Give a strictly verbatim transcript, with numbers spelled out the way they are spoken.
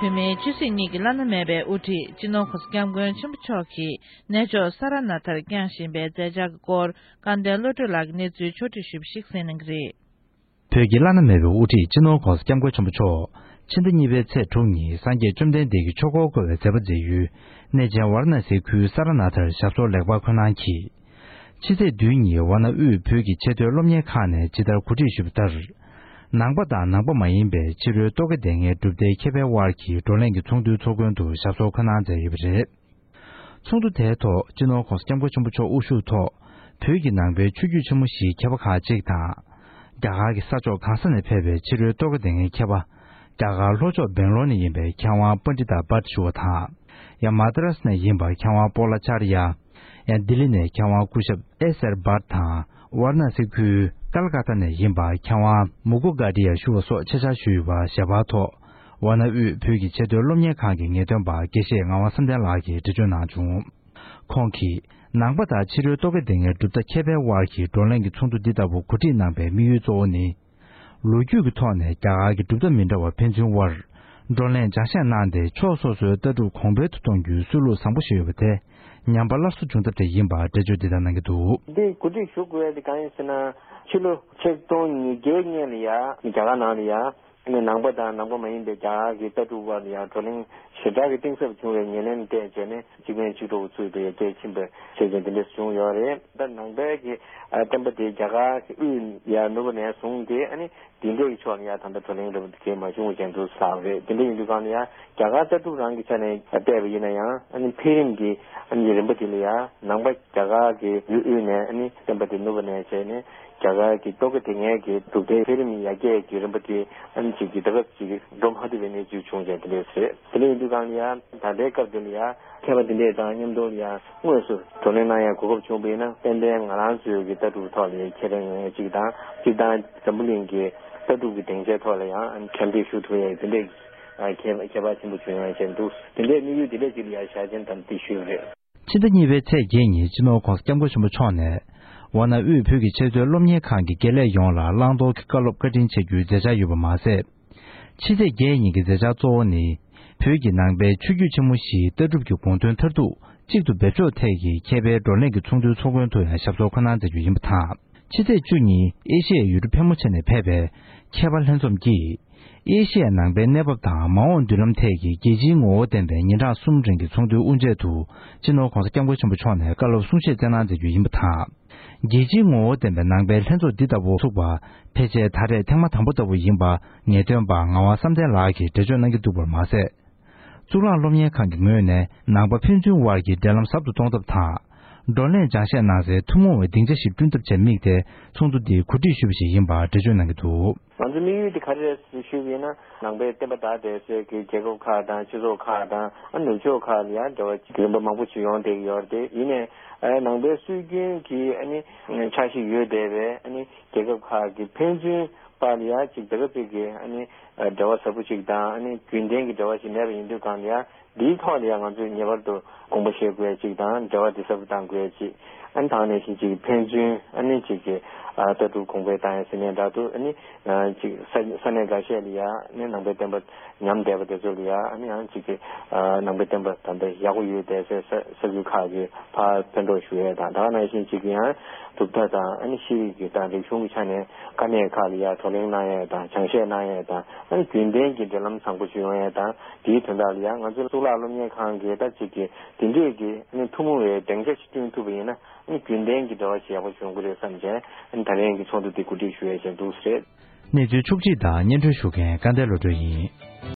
བོད་མིའི་ཆོས་སྲིད་གཉིས་ཀྱི་བླ་ན་མེད་པའི་དབུ་ཁྲིད་སྤྱི་ནོར་༸གོང་ས་༸སྐྱབས་མགོན་ཆེན་པོ་མཆོག་གིས་གནས་མཆོག་ས་ར་ནཱ་ཐར་བསྐྱངས་བཞིན་པའི་མཛད་འཆར་གྱི་སྐོར་སྐལ་ལྡན་བློ་གྲོས་ལགས་ཀྱིས་གནས་ཚུལ་ཕྱོགས་བསྒྲིགས་ཞུས་པ་ཞིག་གསན་གནང་གི་རེད། བོད་ཀྱི་བླ་ན་མེད་པའི་དབུ་ཁྲིད་སྤྱི་ནོར་༸གོང་ས་༸སྐྱབས་མགོན་ཆེན་པོ་མཆོག་ཕྱི་ཟླ་གཉིས་པའི་ཚེས་དྲུག་ཉིན་སངས་རྒྱས་བཅོམ་ལྡན་འདས་ཀྱི་ཆོས་འཁོར་བསྐོར་བའི་མཛད་པ་མཛད་ཡུལ་གནས་ཆེན་ཝཱ་ར་ཎ་སིའི་ཁུལ་ས་ར་ནཱ་ཐར་ཞབས་སོར་ལེགས་པར་འཁོད་གནང་གིས། ཕྱི་ཚེས་བདུན་ཉིན་ཝཱ་ཎ་དབུས་བོད་ཀྱི་ཆེས་མཐོའི་སློབ་གཉེར་ཁང་ནས་ཇི་ལྟར་གོ་སྒྲིག་ཞུས་པ་ལྟར། ནང་པ་དང་ནང་པ་མ་ཡིན་པའི་ཕྱི་རོལ་རྟོག་གེ་སྡེ་ལྔའི་གྲུབ་མཐའི་མཁས་པའི་དབར་གྱི་བགྲོ་གླེང་གི་ཚོགས་འདུའི་ཚོགས་མགོན་དུ་ཞབས་སོར་འཁོད་གནང་མཛད་ཡོད་པ་རེད། ཚོགས་འདུ་དེའི་ཐོག་སྤྱི་ནོར་༸གོང་ས་༸སྐྱབས་མགོན་ཆེན་པོ་མཆོག་དབུ་བཞུགས་ཐོག་བོད་ཀྱི་ནང་པའི་ཆོས་བརྒྱུད་ཆེན་མོ་བཞིའི་མཁས་པ་ཁག་ཅིག་དང་། རྒྱ་གར་གྱི་ས་ཕྱོགས་གང་ས་ནས་ཕེབས་པའི་ཕྱི་རོལ་རྟོག་གེ་སྡེ་ལྔའི་མཁས་པ། རྒྱ་གར་ལྷོ་ཕྱོགས་སྦེང་ལོར་ནས་ཡིན་པའི་མཁས་དབང་པཎྜི་ཏ་བྷཊ་ཞུ་བ་དང་། ཡང་མ་ཏྲ་སི་ནས་ཡིན་པ་མཁས་དབང་པོ་ལ་ཅཱར་ཡ། ཡང་ལྡི་ལི་ནས་མཁས་དབང་སྐུ་ཞབས་ཨེ་སེར་བྷཊ་དང་། ཝཱ་ར་ཎ་སི་ཁུལ་ཀལ་ཀ་ཏ་ནས་ཡིན་པ་མཁས་དབང་མུ་ཀུ་གྷ་ཏི་ཡ་ཞུ་བ་སོགས་ཆེད་བཅར་ཞུས་ཡོད་པ་ཞལ་པར་ཐོག་ཝཱ་ཎ་དབུས་བོད་ཀྱི་ཆེས་མཐོའི་སློབ་གཉེར་ཁང་གི་ངེས་སྟོན་པ་དགེ་བཤེས་ངག་དབང་བསམ་གཏན་ལགས་ཀྱིས་འགྲེལ་བརྗོད་གནང་བྱུང་། ཁོང་གིས་ནང་པ་དང་ཕྱི་རོལ་རྟོག་གེ་སྡེ་ལྔའི་གྲུབ་མཐའ་མཁས་པའི་དབར་གྱི་བགྲོ་གླེང་གི་ཚོགས་འདུ་འདི་ལྟ་བུ་གོ་སྒྲིག་གནང་པའི་དམིགས་ཡུལ་གཙོ་བོ་ནི། ལོ་རྒྱུས་ཀྱི་ཐོག་ནས་རྒྱ་གར་གྱི་གྲུབ་མཐའ་མི་འདྲ་བ་ཕན་ཚུན་དབར་བགྲོ་གླེང་སྦྱང་བཤད་གནང་སྟེ་ཕྱོགས་སོ་སོའི་ལྟ་གྲུབ་གོང་འཕེལ་དུ་གཏོང་རྒྱུའི་སྲོལ་ལུགས་བཟང་པོ་ཞིག་ཡོད་པ་དེ་ཉམས་པ་སླར་གསོ་བྱུང་ཐབས་དེ་ཡིན་པར་འགྲེལ་བརྗོད་འདི་ལྟར་གནང་གི་འདུག་འདི་གོ་སྒྲིག་ཞུ་དགོས་ཡ་དེ་གང་ཡིན་ཟེར་ན། ཕྱི་ལོ་ཆིག་སྟོང་ཉིས་བརྒྱའི་སྔོན་ལ་ཡ་རྒྱ་གར་ནང་ལ་ཡ། ནི་ནང་པ་དང་ནང་པ་མ་ཡིན་པའི་རྒྱ་གར་གྱི་ལྟ་གྲུབ་དབར་ལ་ཡང་བགྲོ་གླེང་ཞེ་དྲག་གི་གཏིང་ཟབ་བྱུང་བའི་ཉེར་ལེན་བལྟས་བྱས་ནས་གཅིག་ཕན་གཅིག་གྲོགས་ཚུད་པའི་རྒྱལ་ཕྱིན་པ་བྱས་ཀྱང་དེ་འདྲས་བྱུང་ཡོད་རེད། ད་ནང་པའི་གི་ཨ་བསྟན་པ་དེ་རྒྱ་གར་གྱི་དབུས་ཡར་ནུབ་ནས་བཟུང་སྟེ་ཨ་ནི་དེ་འདྲས་ཀྱི་ཕྱོགས་ལ་ཡང་ད་ལྟ་བགྲོ་གླེང་རེ་བ་དེ་གས་མ་བྱུང་བ་ཅན་དུ་ལྷག་རེད། དེ་འདྲ་ཡིན་དུས་གང་ལ་ཡང་རྒྱ་གར་ལྟ་གྲུབ་རང་གི་ཆ་ནས་བལྟས་པ་ཡིན་ན་ཡང་ཨ་ནི་འཕེལ་རིམ་གྱི་ཨ་ནི་རིམ་པ་དེ་ལ་ཡང་ནང་པ་རྒྱ་གར་གྱི་ཡུལ་དབུས་ནས་ཨ་ནི་བསྟན་པ་དེ་ནུབ་པ་ནས་བྱས་ནས། རྒྱ་གར་གྱི་རྟོག་གེ་དེ་ངན་གྱི་གྲུབ་མཐའི་འཕེལ་རིམ་ཡར་རྒྱས་ཀྱི་རིམ་པ་དེ་ཨ་ནི་གཅིག་གི་ད་སྐབས་ཅིག་འགྲོ་མ་ཐུབ་པའི་གནས་ཚུལ་བྱུང་བྱས་དེ་འདྲས་རེད། དེ་འདྲ་ཡིན་དུས་གང་ལ་ཡང་ད་ལྟའི་སྐབས་འདི་ལ་ཡང་མཁས་པ་དེ་འདྲས་དང་མཉམ་དུ་ལ་ཡང་དངོས་སུ་བགྲོ་གླེང་གནང་ཡ་གོ་སྐབས་བྱུང་བ་ཡིན་ན་ཏན་ཏན་ང་རང་ཚོའི་གི་ལྟ་གྲུབ་ཐོག་ལ་ཁྱད་ལྡན་ཡོང་ཡ་གཅིག་དང་གཅིག་དང་འཛམ་བུ་གླིང་གི་ལྟ་གྲུབ་ཀྱི་སྡིངས་ཆའི་ཐོག་ལ་ཡང་ཨ་ནི་འགྲེམས་སྤེལ་ཞུ་ཐུབ་ཡ་དེ་འདྲས་ཁྱད་ཁྱད་པར་ཆེན་པོ་བྱུང་ཡ་བྱས་འདུག་དེ་འདྲས་དམིགས་ཡུལ་དེ་འདྲས་ཅིག་ལ་ཡང་བཞག་ཅན་དམ་ཚིག་ཞུས་པ་རེད། ཕྱི་ཟླ་གཉིས་པའི་ཚེས་བརྒྱད་ཉིན་སྤྱི་ནོར་༸གོང་ས་༸སྐྱབས་མགོན་ཆེན་པོ་མཆོག་ནས་ཝཱ་ཎ་དབུས་བོད་ཀྱི་ཆེས་མཐོའི་སློབ་གཉེར་ཁང་གི་དགེ་ལས་ཡོངས་ལ་བླང་དོར་གྱི་བཀའ་སློབ་བཀའ་དྲིན་ཆེ་རྒྱུའི་མཛད་འཆར་ཡོད་པ་མ་ཟད། ཕྱི་ཚེས་བརྒྱད་ཉིན་གྱི་མཛད་འཆར་གཙོ་བོ་ནི། བོད་ཀྱི་ནང་པའི་ཆོས་བརྒྱུད་ཆེན་མོ་བཞིའི་ལྟ་གྲུབ་ཀྱི་དགོངས་དོན་མཐར་ཐུག་གཅིག་ཏུ་འབེབས་ཕྱོགས་ཐད་ཀྱི་མཁས་པའི་བགྲོ་གླེང་གི་ཚོགས་འདུའི་ཚོགས་མགོན་དུ་ཡང་ཞབས་སོར་འཁོད་གནང་མཛད་རྒྱུ་ཡིན་པ་དང་། ཕྱི་ཚེས་བཅུ་ཉིན་ཨེ་ཤི་ཡའི་ཡུལ་གྲུ་ཕལ་མོ་ཆེ་ནས་ཕེབས་པའི་མཁས་པ་ལྷན་འཛོམས་ཀྱིས། ཨེ་ཤི་ཡའི་ནང་པའི་གནས་བབ་དང་མ་འོངས་མདུན་ལམ་ཐད་ཀྱི་རྒྱལ་སྤྱིའི་ངོ་བོ་ལྡན་པའི་ཉིན་གྲངས་གསུམ་རིང་གི་ཚོགས་འདུའི་དབུ་འབྱེད་དུ་སྤྱི་ནོར་༸གོང་ས་༸སྐྱབས་མགོན་ཆེན་པོ་མཆོག་ནས་བཀའ་སློབ་གསུང་བཤད་སྩལ་གནང་མཛད་རྒྱུ་ཡིན་པ་དང་། རྒྱལ་སྤྱིའི་ངོ་བོ་ལྡན་པའི་ནང་པའི་ལྷན་ཚོགས་འདི་ལྟ་བུ་ཚུགས་པ་ཕལ་ཆེར་ད་རེས་ཐེངས་མ་དང་པོ་ལྟ་བུ་ཡིན་པ་ངེས་སྟོན་པ་ངག་དབང་བསམ་གཏན་ལགས་ཀྱིས་འགྲེལ་བརྗོད་གནང་གི་འདུག་པར་མ་ཟད། གཙུག་ལག་སློབ་གཉེར་ཁང་གི་ངོས་ནས་ནང་པ་ཕན་ཚུན་དབར་གྱི་འབྲེལ་ལམ་ཟབ་ཏུ་གཏོང་ཐབས་དང་། བགྲོ་གླེང་སྦྱང་བཤད་གནང་སའི་ཐུན་མོང་བའི་སྡིངས་ཆ་ཞིག་བསྐྲུན་ཐབས་བཅས་དམིགས་ཏེ་ཚོགས་འདུ་འདི་གོ་སྒྲིག་ཞུས་པ་ཞིག་ཡིན་པར་འགྲེལ་བརྗོད་གནང་གི་འདུག་ང་ཚོ་དམིགས་ཡུལ་དེ་ག་རེ་རེད་ཞུས་པ་ཡིན་ན། ནང་པའི་བསྟན་པ་དར་བསྡད་སའི་གི་རྒྱལ་ཁབ་ཁག་དང་སྤྱི་ཚོགས་ཁག་དང་ཨ་ནུབ་ཕྱོགས་ཁག་ལ་ཡང་འབྲེལ་བ་རིམ་པ་མང་པོ་ཞིག་ཡོང་བསྡད་ཀྱི་ཡོད་རེད། དེ་ཡིན་ནའི་ཨ་ནང་པའི་སྲོལ་རྒྱུན་གྱི་ཨ་ནི་ཆ་ཤས་ཡོད་བསྡད་པའི་ཨ་ནི་རྒྱལ་ཁབ་ཁག་གི་ཕན་ཚུན་བར་ལ་ཡང་ཅིག་ད་ག་ཅིག་གི་ཨ་ནི་འབྲེལ་བ་ཟབ་པོ་ཅིག་དང་ཨ་ནི་རྒྱུན་ལྡན་གྱི་འབྲེལ་བ་ཞིག་མེད་པ་ཡིན་དུས་གང་ལ་ཡང་འདིའི་ཐོག་ལ་ཡང་ང་ཚོས་ངེས་པར་དུ་དགོངས་པ་བཞེས་དགོས་ཡ་ཅིག་དང་འབྲེལ་བ་འདི་ཟབ་ཏུ་གཏང་དགོས་ཡ་ཅིག་ཨ་ནི་དེ་ནང་བཞིན་ཅིག་ཕན་ཚུན་ཨ་ནི་ཅིག་གི་ཨ་ལྟ་གྲུབ་གོང་འཕེལ་བཏང་ཡ་ཟེར་ནས་འདྲ་འདུག་ཨ་ནི་ཅིག་ས་ས་གནས་འགའ་ཤས་ལ་ཡ་ཨ་ནི་ནང་པའི་བསྟན་པ་ཉམས་བསྡད་པ་དེ་ཚོ་ལ་ཡ་ཨ་ནི་ཡང་ཅིག་གི་ཨ་ནང་པའི་བསྟན་པ་ད་ལྟ་ཡག་པོ་ཡོད་བསྡད་སའི་ས་ས་ཁུལ་ཁག་གི་ཕར་ཕན་གྲོགས་ཞུ་ཡས་དང་ད་ག་ནང་བཞིན་ཅིག་ཡང་གྲུབ་མཐའ་དང་ཨ་ནི་ཤེས་རིག་གི་དང་རིག་གཞུང་གི་ཆ་ནས་དཀའ་གནད་ཁག་ལ་ཡ་བགྲོ་གླེང་གནང་ཡས་དང་སྦྱང་བཤད་གནང་ཡས་དང་ཨ་ནི་རྒྱུན་ལྡན་གྱི་འབྲེལ་ལམ་བཟང་པོ་ཞིག་ཡོང་ཡས་དང་དེའི་དོན་དག་ལ་ཡ་ང་ཚོ་གཙུག་ལག་སློབ་གཉེར་ཁང་གི་ད་ཅིག་གི་དེ་འདྲས་ཀྱི་ཨ་ནི་ཐུན་མོང་བའི་སྡིངས་ཆ་ཞིག་བསྐྲུན་ཐུབ་པ་ཡིན་ན་ཨ་ནི་རྒྱུན་ལྡན་གྱི་འབྲེལ་བ་ཞིག་ཡག་པོ་ཞིག་ཡོང་གི་རེད་བསམ་བྱས་ཨ་ནི་ད་རིང་གི་ཚོགས་འདུ་འདི་གོ་སྒྲིག་ཞུ་ཡས་བྱས་འདུག་ཟེར། གནས་ཚུལ་ཕྱོགས་སྒྲིག་དང་སྙན་སྒྲོན་ཞུ་མཁན་སྐལ་ལྡན་བློ་གྲོས་ཡིན།